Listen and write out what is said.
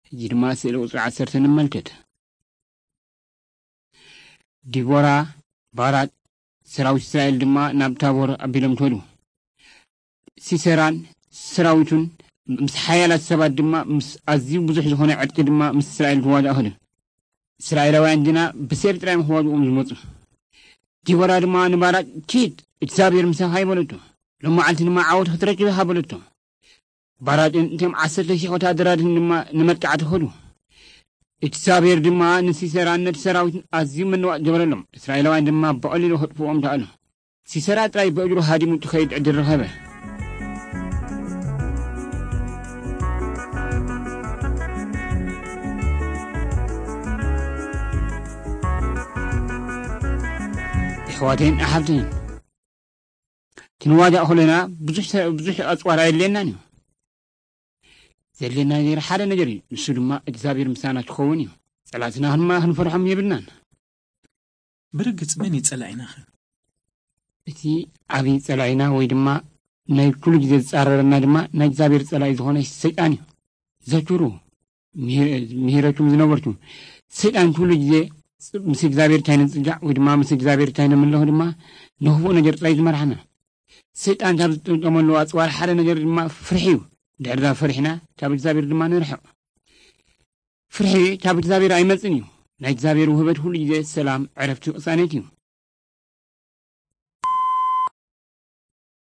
ሕጂ ድማ ስእሊ ቁጽሪ ዓሰርተ ንመልከት። ዲቦራ፣ ባራቅ፣ ሰራዊት እስራኤል ድማ ናብ ታቦር ኣቢሎም ከዱ። ሲሰራን ሰራዊቱን ምስ ሓያላት ሰባት ድማ ምስ ኣዝዩ ብዙሕ ዝኾነ ዕጥቂ ድማ ምስ እስራኤል ክዋጋእ ከዱ። እስራኤላውያን ግና ብሴፍ ጥራይ እዮም ክዋግኦም ዝመጹ። ዲቦራ ድማ ንባራቅ፣ "ኪድ፣ እግዚኣብሔር ምሳኻ እዩ" በለቶ። "ሎም መዓልቲ ድማ ዓወት ክትረክብ ኢኻ" በለቶ። ባራቅን እቶም ዓሰርተ ሽሕ ወታደራትን ድማ ንመጥቃዕቲ ከዱ። እግዚኣብሔር ድማ ንሲሰራን ነቲ ሰራዊትን ኣዝዩ ምንዋጥ ገበረሎም። እስራኤላውያን ድማ ብቐሊሉ ከጥፍኦም ከኣሉ። ሲሰራ ጥራይ ብእግሩ ሃዲሙ እትኸይድ ዕድል ረኸበ። ኣሕዋተይን ኣሓብተይን፣ ክንዋጋእ ከለና ብዙሕ ሰ-፣ ብዙሕ ኣጽዋር ኣየድልየናን እዩ። ዘድልየና ነገር ሓደ ነገር እዩ። ንሱ ድማ እግዚኣብሔር ምሳና ክኸውን እዩ። ጸላእትና ድማ ክንፈርሖም የብልናን። ብርግጽ መን እዩ ጸላኢናኸ? እቲ ዓብዪ ጸላኢና ወይ ድማ ናይ ኩሉ ግዜ ዝጻረረና ድማ ናይ እግዚኣብሔር ጸላኢ ዝኾነ ሰይጣን እዩ። ዘክሩ፣ ምሂ-፣ ምሂረኩም ዝነበርኩም፣ ሰይጣን ኩሉ ግዜ ምስ እግዚኣብሔር እንታይ ንጽጋዕ ወይ ድማ ምስ እግዚኣብሔር እንታይ ንምለኹ ድማ ንኽፉእ ነገር ጥራይ ዝመርሓና። ሰይጣን ካብ ዝጥቀመሉ ኣጽዋር ሓደ ነገር ድማ ፍርሒ እዩ። ድሕርዛ ፈሪሕና ካብ እግዚኣብሔር ድማ ንርሕቕ። ፍርሒ ካብ እግዚኣብሔር ኣይመጽን እዩ። ናይ እግዚኣብሔር ውህበት ኩሉ ግዜ ሰላም፣ ዕረፍቲ፣ ቅሳነት እዩ።